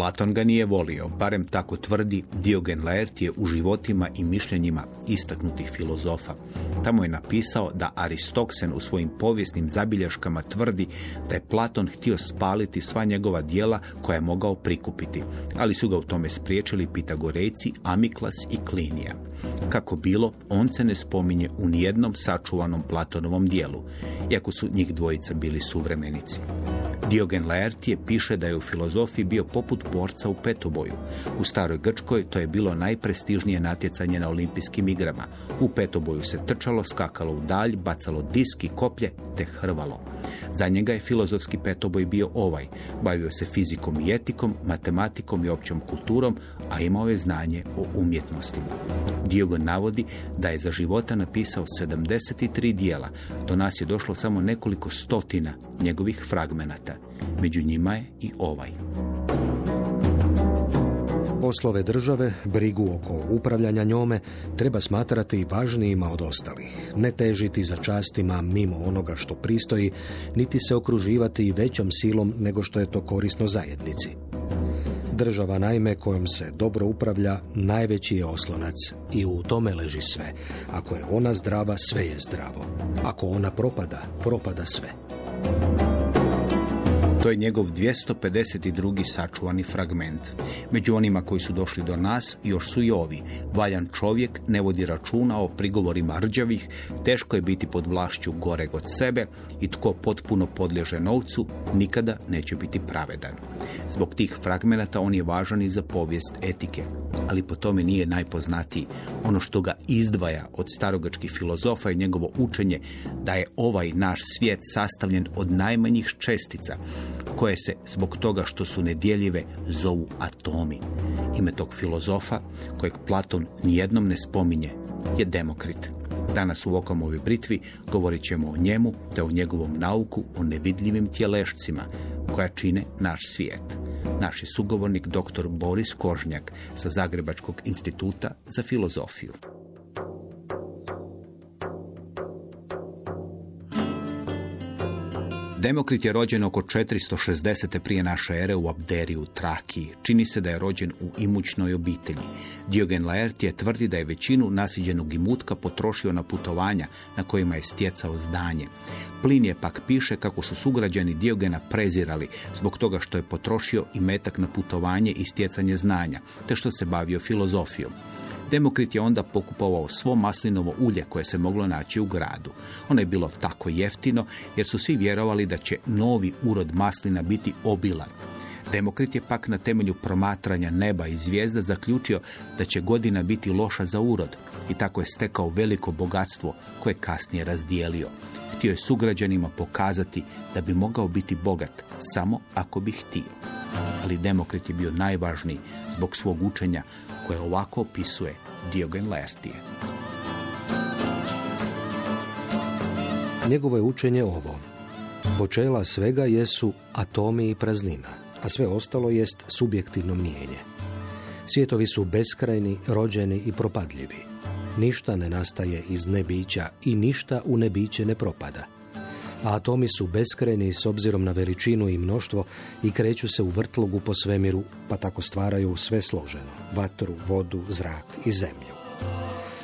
Platon ga nije volio, barem tako tvrdi Diogen Laertije u životima i mišljenjima istaknutih filozofa. Tamo je napisao da Aristoksen u svojim povijesnim zabilješkama tvrdi da je Platon htio spaliti sva njegova djela koja je mogao prikupiti, ali su ga u tome spriječili Pitagorejci Amiklas i Klinija. Kako bilo, on se ne spominje u nijednom sačuvanom Platonovom dijelu, iako su njih dvojica bili suvremenici. Diogen Laertije piše da je u filozofiji bio poput borca u petoboju. U staroj Grčkoj to je bilo najprestižnije natjecanje na olimpijskim igrama. U petoboju se trčalo, skakalo u dalj, bacalo disk i koplje te hrvalo. Za njega je filozofski petoboj bio ovaj. Bavio se fizikom i etikom, matematikom i općom kulturom, a imao je znanje o umjetnostima. Diogen navodi da je za života napisao 73 dijela. Do nas je došlo samo nekoliko stotina njegovih fragmenata. Među njima je i ovaj. Poslove države, brigu oko upravljanja njome, treba smatrati važnijima od ostalih. Ne težiti za častima mimo onoga što pristoji, niti se okruživati većom silom nego što je to korisno zajednici. Država, naime, kojom se dobro upravlja, najveći je oslonac i u tome leži sve. Ako je ona zdrava, sve je zdravo. Ako ona propada, propada sve. To je njegov 252. sačuvani fragment. Među onima koji su došli do nas još su i ovi. Valjan čovjek ne vodi računa o prigovorima rđavih, teško je biti pod vlašću goreg od sebe i tko potpuno podliježe novcu nikada neće biti pravedan. Zbog tih fragmenata on je važan i za povijest etike, ali po tome nije najpoznatiji. Ono što ga izdvaja od starogrčkih filozofa je njegovo učenje da je ovaj naš svijet sastavljen od najmanjih čestica, koje se, zbog toga što su nedjeljive, zovu atomi. Ime tog filozofa, kojeg Platon nijednom ne spominje, je Demokrit. Danas u Okamovoj britvi govorit ćemo o njemu te o njegovom nauku o nevidljivim tjelešcima koja čine naš svijet. Naš je sugovornik dr. Boris Kožnjak sa Zagrebačkog instituta za filozofiju. Demokrit je rođen oko 460. prije naše ere u Abderiju, Trakiji. Čini se da je rođen u imućnoj obitelji. Diogen Laertije tvrdi da je većinu nasiđenog imutka potrošio na putovanja na kojima je stjecao znanje. Plinije pak piše kako su sugrađani Diogena prezirali zbog toga što je potrošio imetak na putovanje i stjecanje znanja, te što se bavio filozofijom. Demokrit je onda pokupovao svo maslinovo ulje koje se moglo naći u gradu. Ono je bilo tako jeftino jer su svi vjerovali da će novi urod maslina biti obilan. Demokrit je pak na temelju promatranja neba i zvijezda zaključio da će godina biti loša za urod i tako je stekao veliko bogatstvo koje kasnije razdijelio. Htio je sugrađanima pokazati da bi mogao biti bogat samo ako bi htio. Ali Demokrit je bio najvažniji zbog svog učenja koje ovako opisuje Diogen Laertije. Njegovo je učenje ovo. Počela svega jesu atomi i praznina, a sve ostalo jest subjektivno mnijenje. Svijetovi su beskrajni, rođeni i propadljivi. Ništa ne nastaje iz nebića i ništa u nebiće ne propada. A atomi su beskrajni s obzirom na veličinu i mnoštvo i kreću se u vrtlogu po svemiru, pa tako stvaraju sve složeno, vatru, vodu, zrak i zemlju.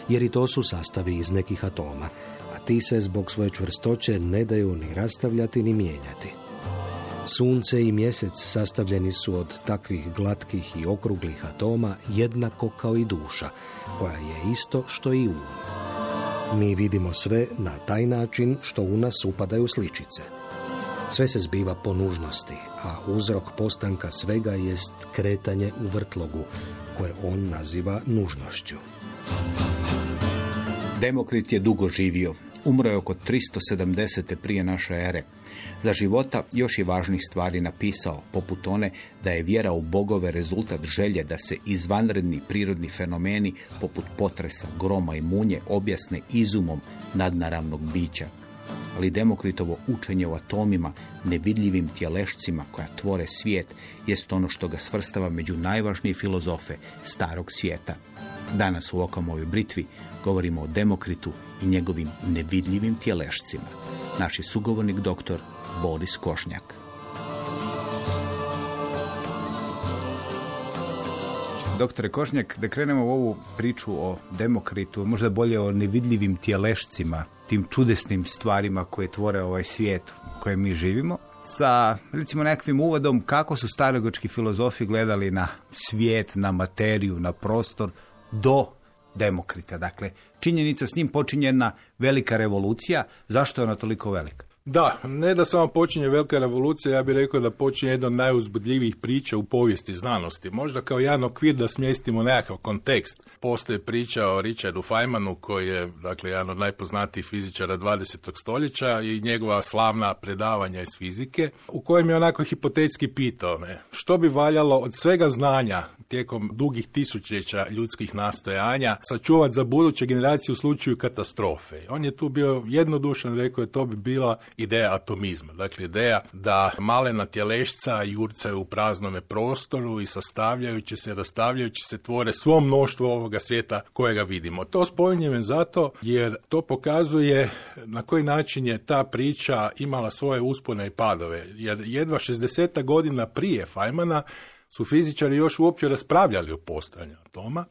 Jer i to su sastavi iz nekih atoma, a ti se zbog svoje čvrstoće ne daju ni rastavljati ni mijenjati. Sunce i mjesec sastavljeni su od takvih glatkih i okruglih atoma jednako kao i duša, koja je isto što i um. Mi vidimo sve na taj način što u nas upadaju sličice. Sve se zbiva po nužnosti, a uzrok postanka svega jest kretanje u vrtlogu, koje on naziva nužnošću. Demokrit je dugo živio. Umro je oko 370. prije naše ere. Za života još je važnih stvari napisao, poput one da je vjera u bogove rezultat želje da se izvanredni prirodni fenomeni poput potresa, groma i munje objasne izumom nadnaravnog bića. Ali Demokritovo učenje o atomima, nevidljivim tjelešcima koja tvore svijet, jest ono što ga svrstava među najvažnije filozofe starog svijeta. Danas u Okamovoj britvi govorimo o Demokritu i njegovim nevidljivim tjelešcima. Naš je sugovornik dr. Boris Kožnjak. Doktore Košnjak, da krenemo u ovu priču o Demokritu, možda bolje o nevidljivim tjelešcima, tim čudesnim stvarima koje tvore ovaj svijet u kojem mi živimo, sa recimo nekakvim uvodom kako su starogrčki filozofi gledali na svijet, na materiju, na prostor do Demokrita. Dakle, činjenica s njim počinje jedna velika revolucija. Zašto je ona toliko velika? Da, ne da samo počinje velika revolucija, ja bih rekao da počinje jedna od najuzbudljivijih priča u povijesti znanosti. Možda kao jedan okvir da smjestimo nekakav kontekst. Postoji priča o Richardu Feynmanu koji je, dakle, jedan od najpoznatijih fizičara 20. stoljeća i njegova slavna predavanja iz fizike, u kojem je onako hipotetski pitao što bi valjalo od svega znanja tijekom dugih tisućljeća ljudskih nastojanja sačuvati za buduće generacije u slučaju katastrofe. On je tu bio jednodušan, rekao je to bi bila ideja atomizma. Dakle, ideja da malena tjelešca jurcaju u praznome prostoru i sastavljajući se, rastavljajući se tvore svo mnoštvo ovoga svijeta kojega vidimo. To spominjem zato jer to pokazuje na koji način je ta priča imala svoje uspone i padove. Jer jedva 60 godina prije Feynmana su fizičari još uopće raspravljali o postojanju atoma,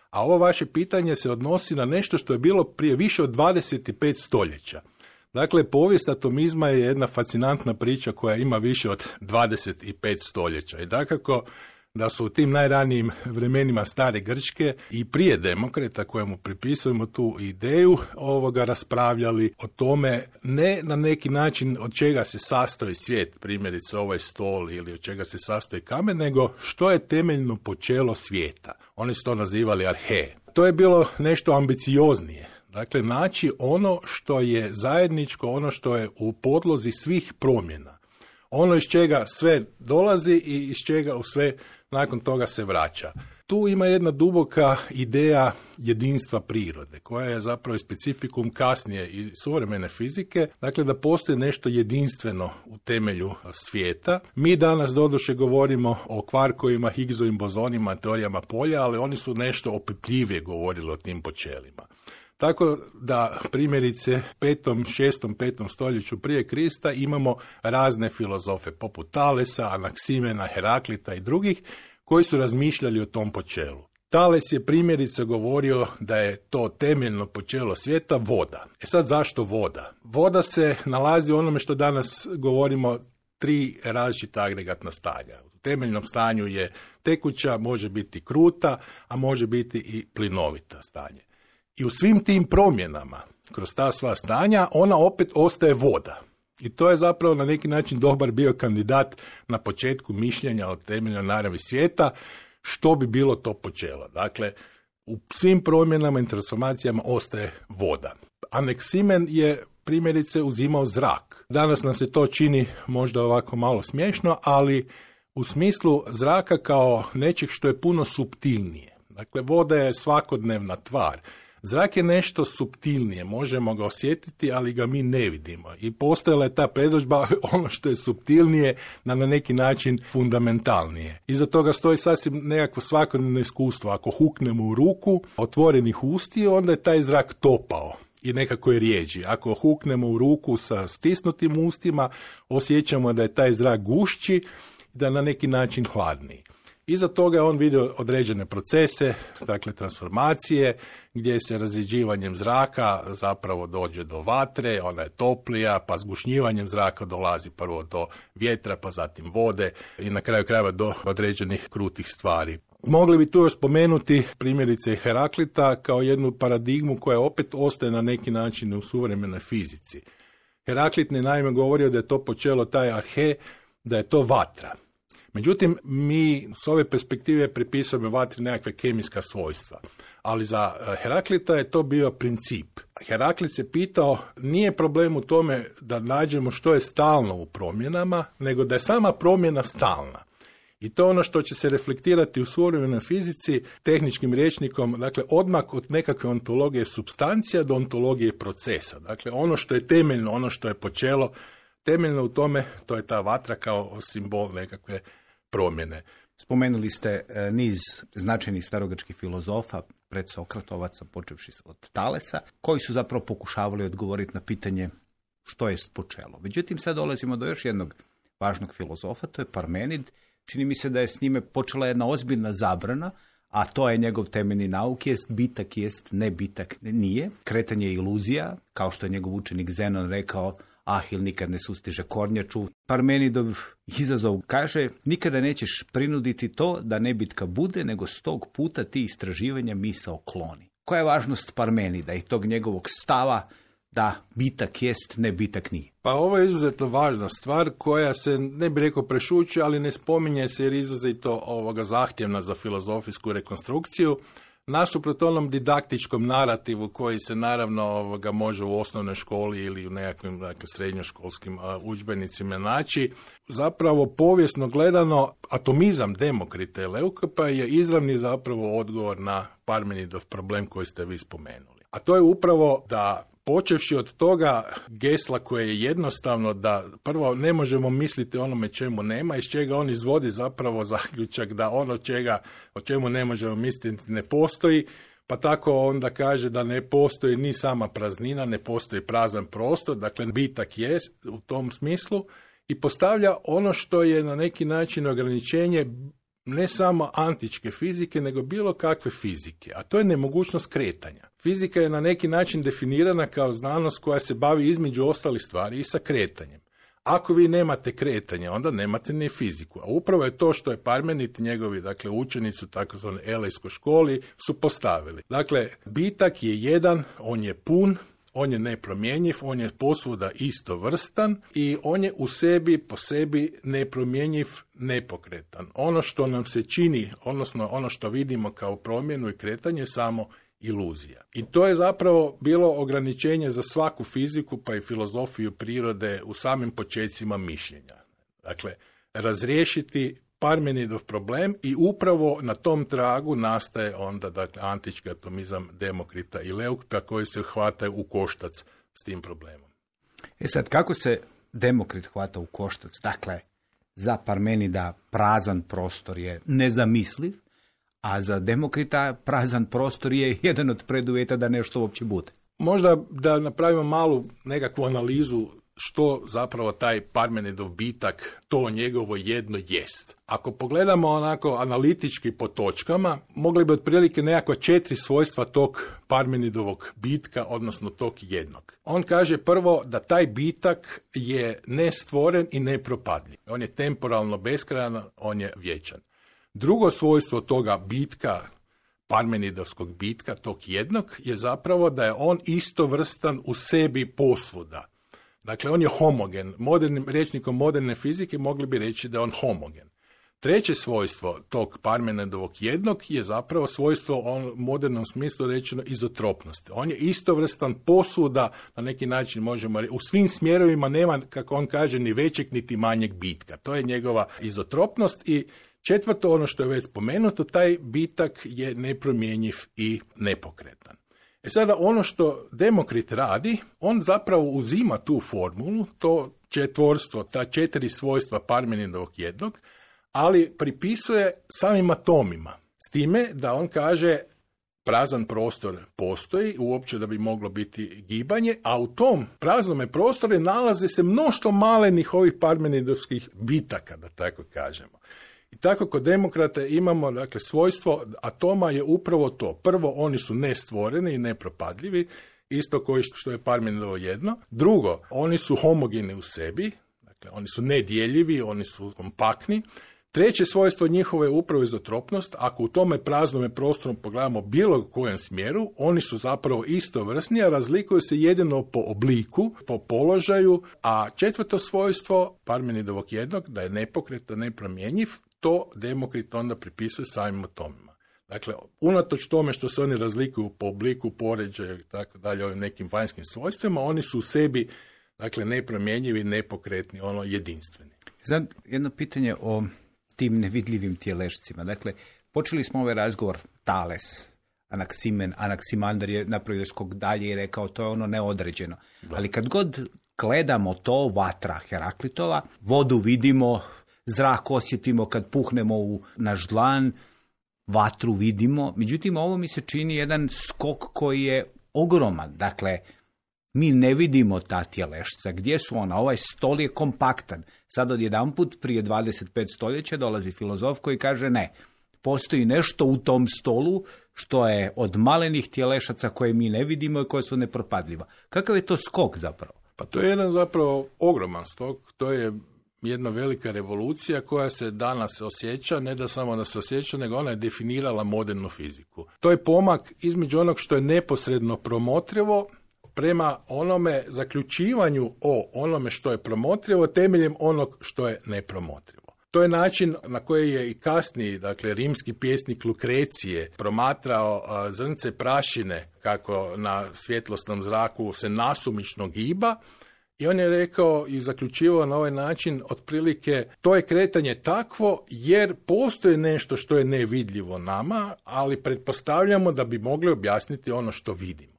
a ovo vaše pitanje se odnosi na nešto što je bilo prije više od 25 stoljeća. Dakle, povijest atomizma je jedna fascinantna priča koja ima više od 25 stoljeća. I dakako da su u tim najranijim vremenima stare Grčke i prije Demokrita, kojemu pripisujemo tu ideju, raspravljali o tome ne na neki način od čega se sastoji svijet, primjerice ovaj stol ili od čega se sastoji kamen, nego što je temeljno počelo svijeta. Oni su to nazivali arhe. To je bilo nešto ambicioznije. Dakle, naći ono što je zajedničko, ono što je u podlozi svih promjena. Ono iz čega sve dolazi i iz čega u sve nakon toga se vraća. Tu ima jedna duboka ideja jedinstva prirode, koja je zapravo specifikum kasnije i suvremene fizike, dakle da postoji nešto jedinstveno u temelju svijeta. Mi danas doduše govorimo o kvarkovima, Higgsovim bozonima, teorijama polja, ali oni su nešto opipljivije govorili o tim počelima. Tako da primjerice 5. stoljeću prije Krista imamo razne filozofe poput Talesa, Anaksimena, Heraklita i drugih koji su razmišljali o tom počelu. Tales je primjerice govorio da je to temeljno počelo svijeta voda. Sad zašto voda? Voda se nalazi u onome što danas govorimo 3 različita agregatna stanja. U temeljnom stanju je tekuća, može biti kruta, a može biti i plinovita stanje. I u svim tim promjenama, kroz ta sva stanja, ona opet ostaje voda. I to je zapravo na neki način dobar bio kandidat na početku mišljenja o temeljnoj naravi svijeta, što bi bilo to počelo. Dakle, u svim promjenama i transformacijama ostaje voda. Anaksimen je primjerice uzimao zrak. Danas nam se to čini možda ovako malo smiješno, ali u smislu zraka kao nečeg što je puno suptilnije. Dakle, voda je svakodnevna tvar. Zrak je nešto suptilnije, možemo ga osjetiti, ali ga mi ne vidimo. I postojala je ta predodžba, ono što je suptilnije, na neki način fundamentalnije. Iza toga stoji sasvim nekakvo svakodnevno iskustvo. Ako huknemo u ruku otvorenih ustiju, onda je taj zrak topao i nekako je rijeđi. Ako huknemo u ruku sa stisnutim ustima, osjećamo da je taj zrak gušći, da na neki način hladniji. Iza toga je on vidio određene procese, dakle transformacije, gdje se razrjeđivanjem zraka zapravo dođe do vatre, ona je toplija, pa zgušnjivanjem zraka dolazi prvo do vjetra, pa zatim vode i na kraju krajeva do određenih krutih stvari. Mogli bi tu još spomenuti primjerice Heraklita kao jednu paradigmu koja opet ostaje na neki način u suvremenoj fizici. Heraklit je naime govorio da je to počelo taj arhe, da je to vatra. Međutim, mi s ove perspektive pripisujemo vatri nekakve kemijska svojstva. Ali za Heraklita je to bio princip. Heraklit se pitao, nije problem u tome da nađemo što je stalno u promjenama, nego da je sama promjena stalna. I to je ono što će se reflektirati u suvremenoj fizici tehničkim rječnikom, dakle odmak od nekakve ontologije supstancija do ontologije procesa. Dakle, ono što je temeljno, ono što je počelo, temeljno u tome, to je ta vatra kao simbol nekakve promjene. Spomenuli ste niz značajnih starogrčkih filozofa, pred Sokratovaca, počevši od Talesa, koji su zapravo pokušavali odgovoriti na pitanje što je počelo. Međutim, sad dolazimo do još jednog važnog filozofa, to je Parmenid. Čini mi se da je s njime počela jedna ozbiljna zabrana, a to je njegov temeljni nauk, jest bitak, jest nebitak, nije. Kretanje je iluzija, kao što je njegov učenik Zenon rekao, Ahil nikad ne sustiže kornjaču. Parmenidov izazov kaže, nikada nećeš prinuditi to da nebitka bude, nego 100 puta ti istraživanja misao kloni. Koja je važnost Parmenida i tog njegovog stava da bitak jest, ne bitak nije? Pa ovo je izuzetno važna stvar koja se, ne bih rekao prešuće, ali ne spominje se jer je izrazito zahtjevna za filozofijsku rekonstrukciju. Nasuprot onom didaktičkom narativu koji se naravno može u osnovnoj školi ili u nekakvim srednjoškolskim udžbenicima naći, zapravo povijesno gledano atomizam Demokrita i Leukipa je izravni zapravo odgovor na Parmenidov problem koji ste vi spomenuli. A to je upravo da počevši od toga gesla koje je jednostavno da prvo ne možemo misliti onome čemu nema, iz čega on izvodi zapravo zaključak da ono o čemu ne možemo misliti ne postoji, pa tako onda kaže da ne postoji ni sama praznina, ne postoji prazan prostor, dakle bitak je u tom smislu i postavlja ono što je na neki način ograničenje ne samo antičke fizike, nego bilo kakve fizike, a to je nemogućnost kretanja. Fizika je na neki način definirana kao znanost koja se bavi između ostalih stvari i sa kretanjem. Ako vi nemate kretanje, onda nemate ni fiziku. A upravo je to što je Parmenid i njegovi učenici u takozvanoj Elejskoj školi su postavili. Dakle, bitak je jedan, on je pun, on je nepromjenjiv, on je posvuda istovrstan i on je u sebi, po sebi nepromjenjiv, nepokretan. Ono što nam se čini, odnosno ono što vidimo kao promjenu i kretanje je samo iluzija. I to je zapravo bilo ograničenje za svaku fiziku pa i filozofiju prirode u samim počecima mišljenja. Dakle, razriješiti Parmenidov problem i upravo na tom tragu nastaje onda antički atomizam Demokrita i Leukipa koji se hvataju u koštac s tim problemom. Sad, kako se Demokrit hvata u koštac? Dakle, za Parmenida prazan prostor je nezamisliv, a za Demokrita prazan prostor je jedan od preduvjeta da nešto uopće bude. Možda da napravimo malu nekakvu analizu što zapravo taj Parmenidov bitak, to njegovo jedno jest. Ako pogledamo onako analitički po točkama, mogli bi otprilike nekakva 4 svojstva tog Parmenidovog bitka, odnosno tog jednog. On kaže prvo da taj bitak je nestvoren i nepropadljiv. On je temporalno beskrajan, on je vječan. Drugo svojstvo toga bitka, Parmenidovskog bitka, tog jednog, je zapravo da je on istovrstan u sebi posvuda. Dakle, on je homogen. Modernim rječnikom moderne fizike mogli bi reći da je on homogen. Treće svojstvo tog Parmenidovog jednog je zapravo svojstvo u modernom smislu rečeno izotropnosti. On je istovrstan posvuda, na neki način možemo reći, u svim smjerovima nema, kako on kaže, ni većeg niti manjeg bitka. To je njegova izotropnost i četvrto, ono što je već spomenuto, taj bitak je nepromjenjiv i nepokretan. Sada ono što Demokrit radi, on zapravo uzima tu formulu, to četvorstvo, ta 4 svojstva Parmenidovog jednog, ali pripisuje samim atomima. S time da on kaže prazan prostor postoji, uopće da bi moglo biti gibanje, a u tom praznome prostoru nalaze se mnoštvo malenih ovih Parmenidovskih bitaka, da tako kažemo. I tako kod Demokrata imamo, dakle, svojstvo atoma je upravo to. Prvo, oni su nestvoreni i nepropadljivi, isto koji što je Parmenidovo jedno. Drugo, oni su homogeni u sebi, dakle, oni su nedjeljivi, oni su kompaktni. Treće svojstvo njihove je upravo izotropnost. Ako u tome praznome prostoru pogledamo bilo kojem smjeru, oni su zapravo istovrsni, a razlikuju se jedino po obliku, po položaju. A četvrto svojstvo Parmenidovog jednog, da je nepokretan, nepromjenjiv, to Demokrit onda pripisuje samim atomima. Dakle, unatoč tome što se oni razlikuju po obliku, poređaju i tako dalje, ovim nekim vanjskim svojstvima, oni su u sebi, dakle, nepromjenjivi, nepokretni, jedinstveni. Sad, jedno pitanje o tim nevidljivim tjelešcima. Dakle, počeli smo ovaj razgovor Tales, Anaksimander je napravio skok dalje i rekao to je ono neodređeno. Da. Ali kad god gledamo to, vatra Heraklitova, vodu vidimo, zrak osjetimo kad puhnemo u naš dlan, vatru vidimo. Međutim, ovo mi se čini jedan skok koji je ogroman. Dakle, mi ne vidimo ta tjelešca. Gdje su ona? Ovaj stol je kompaktan. Sad odjedanput prije 25 stoljeća dolazi filozof koji kaže ne. Postoji nešto u tom stolu što je od malenih tjelešaca koje mi ne vidimo i koje su nepropadljiva. Kakav je to skok zapravo? Pa to je jedan zapravo ogroman skok, to je jedna velika revolucija koja se danas osjeća, ne da samo da se osjeća, nego ona je definirala modernu fiziku. To je pomak između onog što je neposredno promotrivo prema onome zaključivanju o onome što je promotrivo temeljem onog što je nepromotrivo. To je način na koji je i kasniji, dakle, rimski pjesnik Lukrecije promatrao zrnce prašine kako na svjetlosnom zraku se nasumično giba. I on je rekao i zaključivao na ovaj način otprilike to je kretanje takvo jer postoji nešto što je nevidljivo nama, ali pretpostavljamo da bi mogli objasniti ono što vidimo.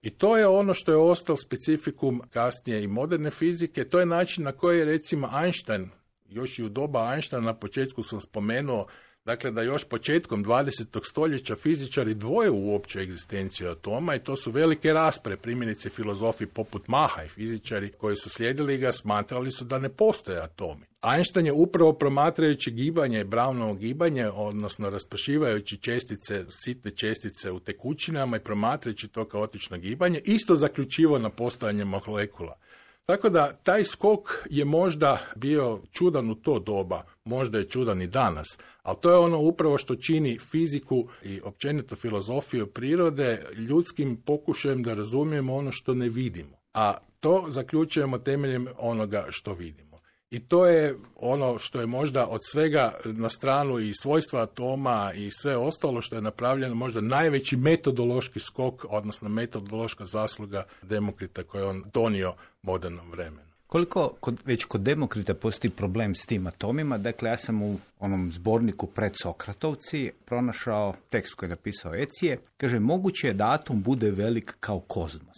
I to je ono što je ostalo specifikum kasnije i moderne fizike, to je način na koji je recimo Einstein, još i u doba Einsteina na početku sam spomenuo, dakle da još početkom 20. stoljeća fizičari dvoje uopće egzistenciju atoma i to su velike rasprave, primjerice filozofi poput Maha i fizičari koji su slijedili ga smatrali su da ne postoje atomi. Einstein je upravo promatrajući gibanje, Brownovo gibanje, odnosno raspršivajući čestice, sitne čestice u tekućinama i promatrajući to kaotično gibanje, isto zaključivao na postojanje molekula. Tako da taj skok je možda bio čudan u to doba, možda je čudan i danas, ali to je ono upravo što čini fiziku i općenito filozofiju prirode ljudskim pokušajem da razumijemo ono što ne vidimo, a to zaključujemo temeljem onoga što vidimo. I to je ono što je možda od svega na stranu i svojstva atoma i sve ostalo što je napravljeno možda najveći metodološki skok, odnosno metodološka zasluga Demokrita koju je on donio modernom vremenu. Koliko već kod Demokrita postoji problem s tim atomima? Dakle, ja sam u onom zborniku Pred Sokratovci pronašao tekst koji je napisao Ecije. Kaže, moguće je da atom bude velik kao kozmos.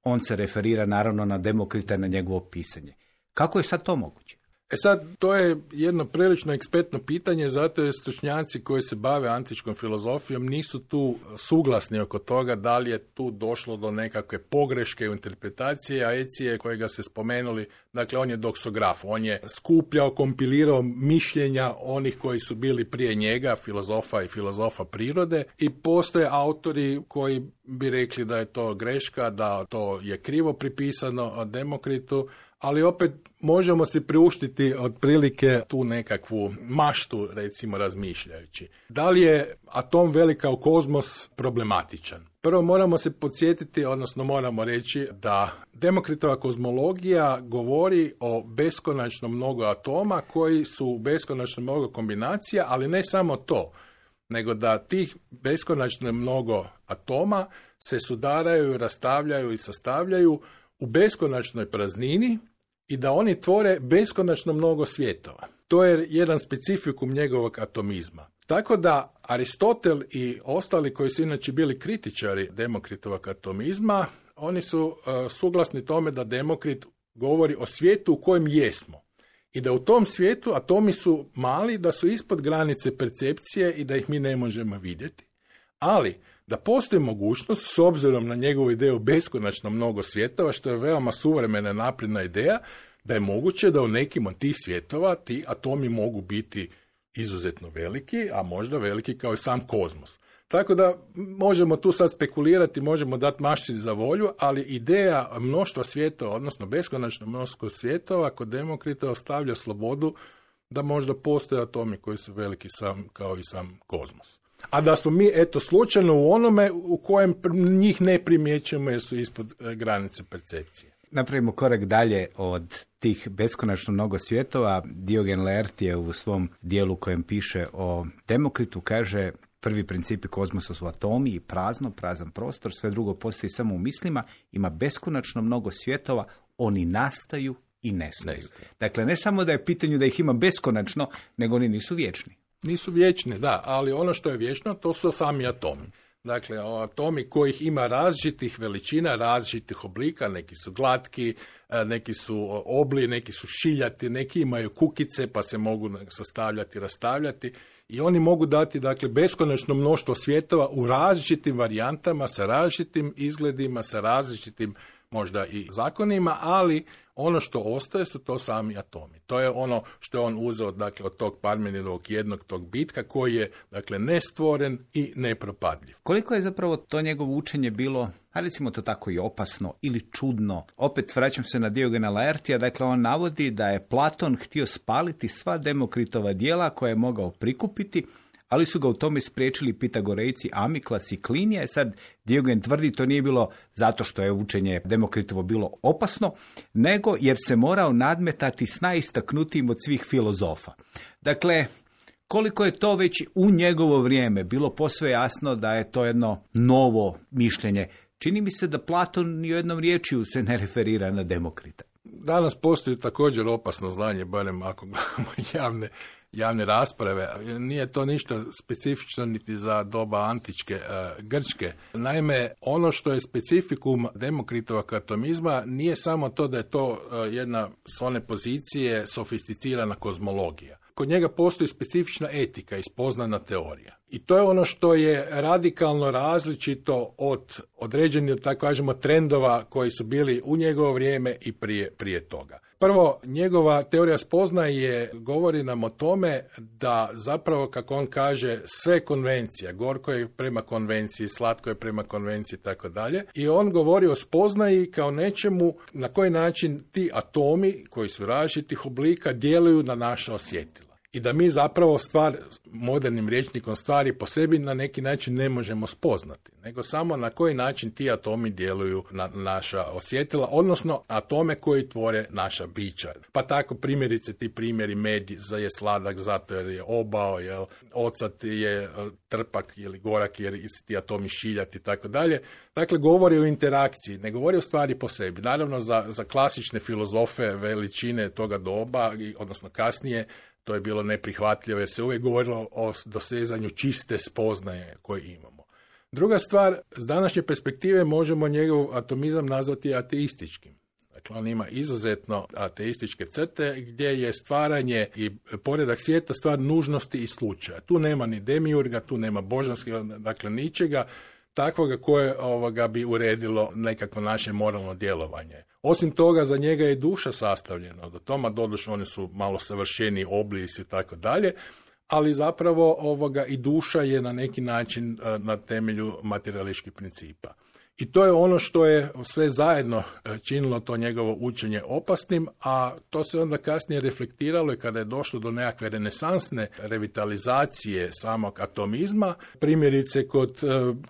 On se referira naravno na Demokrita i na njegovo pisanje. Kako je sad to moguće? Sad, to je jedno prilično ekspertno pitanje, zato je stručnjaci koji se bave antičkom filozofijom nisu tu suglasni oko toga da li je tu došlo do nekakve pogreške u interpretacije, a Ecije kojega se spomenuli, dakle on je doksograf, on je skupljao, kompilirao mišljenja onih koji su bili prije njega, filozofa i filozofa prirode i postoje autori koji bi rekli da je to greška, da to je krivo pripisano Demokritu, ali opet možemo si priuštiti otprilike tu nekakvu maštu, recimo razmišljajući. Da li je atom velik kao kozmos problematičan? Prvo moramo se podsjetiti, odnosno moramo reći da Demokritova kozmologija govori o beskonačno mnogo atoma koji su beskonačno mnogo kombinacija, ali ne samo to, nego da tih beskonačno mnogo atoma se sudaraju, rastavljaju i sastavljaju u beskonačnoj praznini i da oni tvore beskonačno mnogo svjetova. To je jedan specifikum njegovog atomizma. Tako da Aristotel i ostali koji su inače bili kritičari Demokritovog atomizma, oni su suglasni tome da Demokrit govori o svijetu u kojem jesmo. I da u tom svijetu atomi su mali, da su ispod granice percepcije i da ih mi ne možemo vidjeti. Ali da postoji mogućnost, s obzirom na njegovu ideju beskonačno mnogo svjetova, što je veoma suvremena napredna ideja, da je moguće da u nekim od tih svjetova ti atomi mogu biti izuzetno veliki, a možda veliki kao i sam kozmos. Tako da možemo tu sad spekulirati, možemo dati mašti za volju, ali ideja mnoštva svjetova, odnosno beskonačno mnoštvo svjetova, kod Demokrita ostavlja slobodu da možda postoje atomi koji su veliki kao i sam kozmos. A da smo mi, slučajno u onome u kojem njih ne primjećujemo jer su ispod granice percepcije. Napravimo korak dalje od tih beskonačno mnogo svjetova. Diogen Laertije u svom dijelu kojem piše o Demokritu kaže: prvi principi kozmosa su atomi i prazan prostor, sve drugo postoji samo u mislima, ima beskonačno mnogo svjetova, oni nastaju i nestaju. Dakle, ne samo da je pitanje da ih ima beskonačno, nego oni nisu vječni. Nisu vječni, da, ali ono što je vječno, to su sami atomi. Dakle, atomi kojih ima različitih veličina, različitih oblika, neki su glatki, neki su obli, neki su šiljati, neki imaju kukice pa se mogu sastavljati, rastavljati i oni mogu dati, dakle, beskonačno mnoštvo svjetova u različitim varijantama, sa različitim izgledima, sa različitim možda i zakonima, ali ono što ostaje su to sami atomi. To je ono što je on uzeo, dakle, od tog Parmeninovog jednog tog bitka koji je, dakle, nestvoren i nepropadljiv. Koliko je zapravo to njegovo učenje bilo, a recimo to tako i opasno ili čudno? Opet vraćam se na Diogena Laertija, dakle on navodi da je Platon htio spaliti sva Demokritova djela koje je mogao prikupiti, ali su ga u tome spriječili Pitagorejci Amiklas i Klinija. Sad Diogen tvrdi to nije bilo zato što je učenje Demokritovo bilo opasno, nego jer se morao nadmetati s najistaknutijim od svih filozofa. Dakle, koliko je to već u njegovo vrijeme bilo posve jasno da je to jedno novo mišljenje. Čini mi se da Platon ni u jednom riječju se ne referira na Demokrita. Danas postoji također opasno znanje, barem ako gledamo javne rasprave. Nije to ništa specifično niti za doba antičke Grčke. Naime, ono što je specifikum Demokritovog atomizma nije samo to da je to jedna s one pozicije sofisticirana kozmologija. Kod njega postoji specifična etika i spoznana teorija. I to je ono što je radikalno različito od određenih, tako kažemo, trendova koji su bili u njegovo vrijeme i prije toga. Prvo, njegova teorija spoznaje govori nam o tome da zapravo, kako on kaže, sve konvencija, gorko je prema konvenciji, slatko je prema konvenciji i tako dalje. I on govori o spoznaji kao nečemu na koji način ti atomi koji su različitih oblika djeluju na naša osjetila. I da mi zapravo modernim rječnikom stvari po sebi na neki način ne možemo spoznati, nego samo na koji način ti atomi djeluju na naša osjetila, odnosno atome koji tvore naša bića. Pa tako primjerice ti primjeri, med je sladak zato jer je obao, jel, ocat je trpak ili gorak jer ti atomi šiljati i tako dalje. Dakle, govori o interakciji, ne govori o stvari po sebi. Naravno, za klasične filozofe veličine toga doba, odnosno kasnije, to je bilo neprihvatljivo jer se uvijek govorilo o dosezanju čiste spoznaje koje imamo. Druga stvar, s današnje perspektive možemo njegov atomizam nazvati ateističkim. Dakle, on ima izuzetno ateističke crte gdje je stvaranje i poredak svijeta stvar nužnosti i slučaja. Tu nema ni demiurga, tu nema božanskog, dakle ničega takvoga koje bi uredilo nekakvo naše moralno djelovanje. Osim toga, za njega je duša sastavljena od atoma, doduše oni su malo savršeniji oblisi i tako dalje, ali zapravo i duša je na neki način na temelju materialističkih principa. I to je ono što je sve zajedno činilo to njegovo učenje opasnim, a to se onda kasnije reflektiralo i kada je došlo do nekakve renesansne revitalizacije samog atomizma, primjerice kod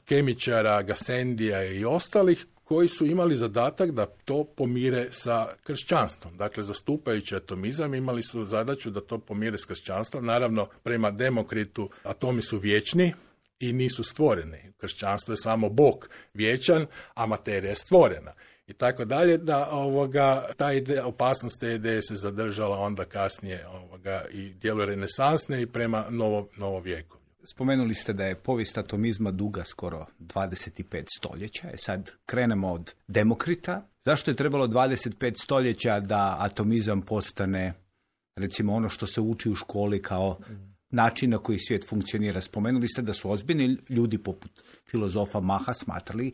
kemičara Gassendija i ostalih, koji su imali zadatak da to pomire sa kršćanstvom. Dakle, zastupajući atomizam imali su zadaću da to pomire s kršćanstvom. Naravno, prema Demokritu atomi su vječni i nisu stvoreni. Kršćanstvo je samo Bog vječan, a materija je stvorena. I tako dalje, da ta ideja, opasnost te ideje se zadržala onda kasnije i djeluje renesansne i prema novo vijeku. Spomenuli ste da je povijest atomizma duga skoro 25 stoljeća. Sad krenemo od Demokrita. Zašto je trebalo 25 stoljeća da atomizam postane, recimo, ono što se uči u školi kao način na koji svijet funkcionira? Spomenuli ste da su ozbiljni ljudi poput filozofa Maha smatrali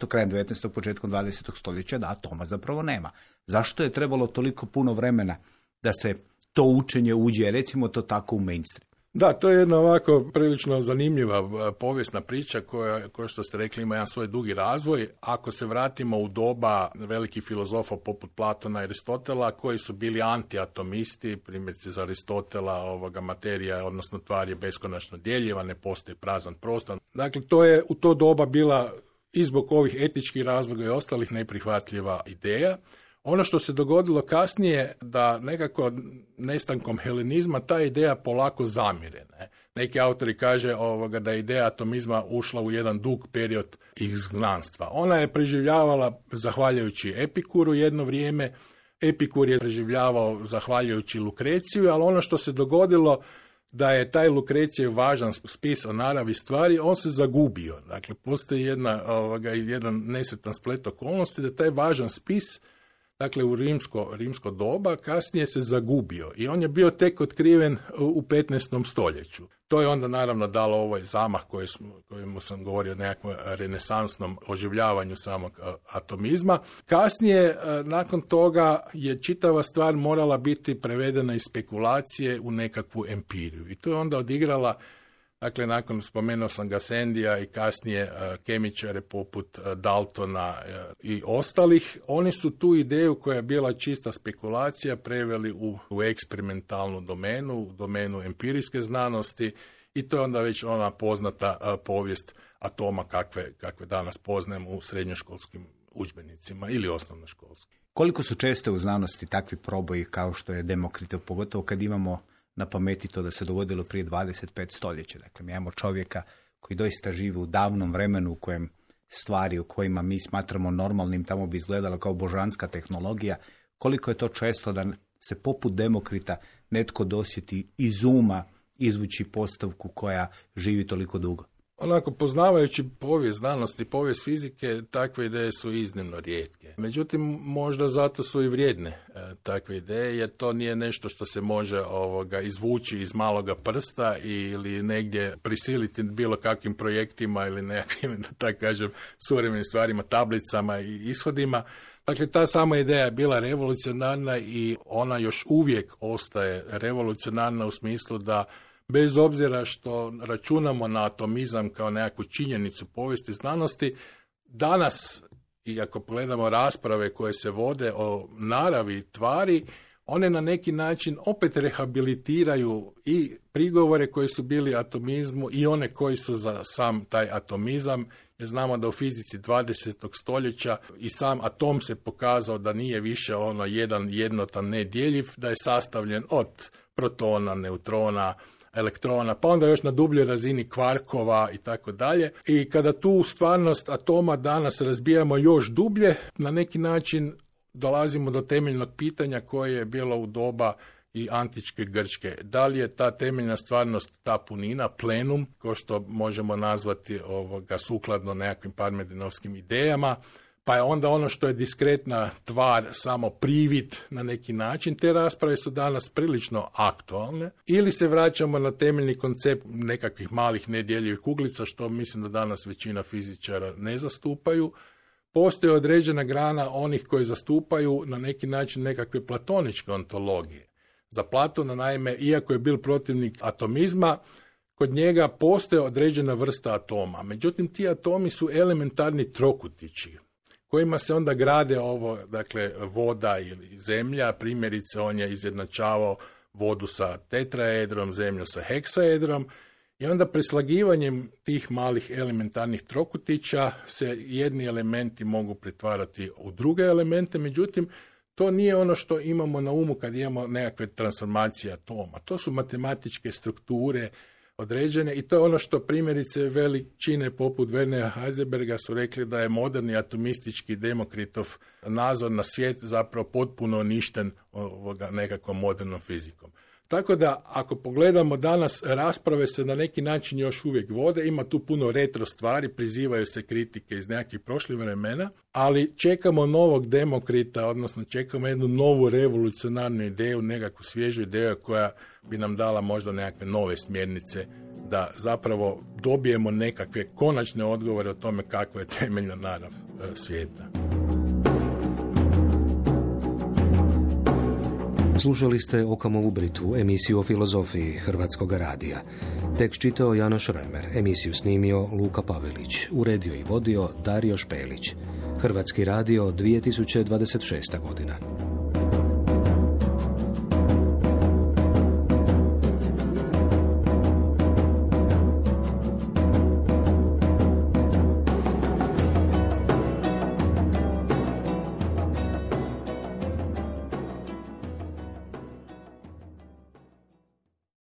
krajem 19. početkom 20. stoljeća da atoma zapravo nema. Zašto je trebalo toliko puno vremena da se to učenje uđe, recimo to tako, u mainstream? Da, to je jedna ovako prilično zanimljiva povijesna priča koja što ste rekli ima jedan svoj dugi razvoj. Ako se vratimo u doba velikih filozofa poput Platona i Aristotela koji su bili antiatomisti, primjerice za Aristotela materija, odnosno tvar je beskonačno djeljiva, ne postoji prazan prostor. Dakle, to je u to doba bila i zbog ovih etičkih razloga i ostalih neprihvatljiva ideja. Ono što se dogodilo kasnije, da nekako nestankom helenizma ta ideja polako zamire. Neki autori kaže da je ideja atomizma ušla u jedan dug period izgnanstva. Ona je preživljavala zahvaljujući Epikuru jedno vrijeme. Epikur je preživljavao zahvaljujući Lukreciju, ali ono što se dogodilo da je taj Lukrecijev važan spis o naravi stvari, on se zagubio. Dakle, postoji jedan nesretan splet okolnosti da taj važan spis dakle u rimsko doba, kasnije se zagubio i on je bio tek otkriven u 15. stoljeću. To je onda naravno dalo ovaj zamah kojemu sam govorio o nekakvom renesansnom oživljavanju samog atomizma. Kasnije, nakon toga, je čitava stvar morala biti prevedena iz spekulacije u nekakvu empiriju. I to je onda odigrala, dakle, nakon spomenuo sam Gassendija i kasnije kemičare poput Daltona i ostalih, oni su tu ideju koja je bila čista spekulacija preveli u eksperimentalnu domenu, u domenu empirijske znanosti i to je onda već ona poznata povijest atoma kakve danas poznajemo u srednjoškolskim udžbenicima ili osnovnoškolskim. Koliko su česte u znanosti takvi proboji kao što je Demokritov, pogotovo kad imamo na pameti to da se dogodilo prije 25 stoljeća. Dakle, mi imamo čovjeka koji doista živi u davnom vremenu u kojem stvari u kojima mi smatramo normalnim tamo bi izgledalo kao božanska tehnologija. Koliko je to često da se poput Demokrita netko dosjeti iz uma izvući postavku koja živi toliko dugo? Onako, poznavajući povijest znanosti, povijest fizike, takve ideje su iznimno rijetke. Međutim, možda zato su i vrijedne takve ideje, jer to nije nešto što se može izvući iz maloga prsta ili negdje prisiliti bilo kakvim projektima ili nekakvim, da tako kažem, suvremenim stvarima, tablicama i ishodima. Dakle, ta sama ideja je bila revolucionarna i ona još uvijek ostaje revolucionarna u smislu da bez obzira što računamo na atomizam kao nekakvu činjenicu povijesti znanosti, danas, i ako pogledamo rasprave koje se vode o naravi tvari, one na neki način opet rehabilitiraju i prigovore koji su bili atomizmu i one koji su za sam taj atomizam, jer znamo da u fizici 20. stoljeća i sam atom se pokazao da nije više jedan jednotan nedjeljiv, da je sastavljen od protona, neutrona, elektrona, pa onda još na dubljoj razini kvarkova i tako dalje. I kada tu stvarnost atoma danas razbijamo još dublje, na neki način dolazimo do temeljnog pitanja koje je bilo u doba i antičke Grčke. Da li je ta temeljna stvarnost ta punina, plenum, ko što možemo nazvati sukladno nekakvim parmenideovskim idejama, pa je onda ono što je diskretna tvar samo privid na neki način. Te rasprave su danas prilično aktualne. Ili se vraćamo na temeljni koncept nekakvih malih nedjeljivih kuglica, što mislim da danas većina fizičara ne zastupaju. Postoji određena grana onih koji zastupaju na neki način nekakve platoničke ontologije. Za Platona, naime, iako je bil protivnik atomizma, kod njega postoje određena vrsta atoma. Međutim, ti atomi su elementarni trokutići, kojima se onda grade voda ili zemlja. Primjerice, on je izjednačavao vodu sa tetraedrom, zemlju sa heksaedrom i onda preslagivanjem tih malih elementarnih trokutića se jedni elementi mogu pretvarati u druge elemente, međutim, to nije ono što imamo na umu kad imamo nekakve transformacije atoma. To su matematičke strukture određene i to je ono što primjerice veličine poput Wernera Heisenberga su rekli da je moderni atomistički Demokritov nazor na svijet zapravo potpuno uništen nekakvom modernom fizikom. Tako da, ako pogledamo danas, rasprave se na neki način još uvijek vode, ima tu puno retro stvari, prizivaju se kritike iz nekakvih prošlih vremena, ali čekamo novog Demokrita, odnosno čekamo jednu novu revolucionarnu ideju, nekakvu svježu ideju koja bi nam dala možda nekakve nove smjernice da zapravo dobijemo nekakve konačne odgovore o tome kakva je temeljna narav svijeta. Slušali ste Okamovu Britvu, emisiju o filozofiji Hrvatskog radija. Tekst čitao Janoš Remer, emisiju snimio Luka Pavelić, uredio i vodio Dario Špelić. Hrvatski radio, 2026. godina.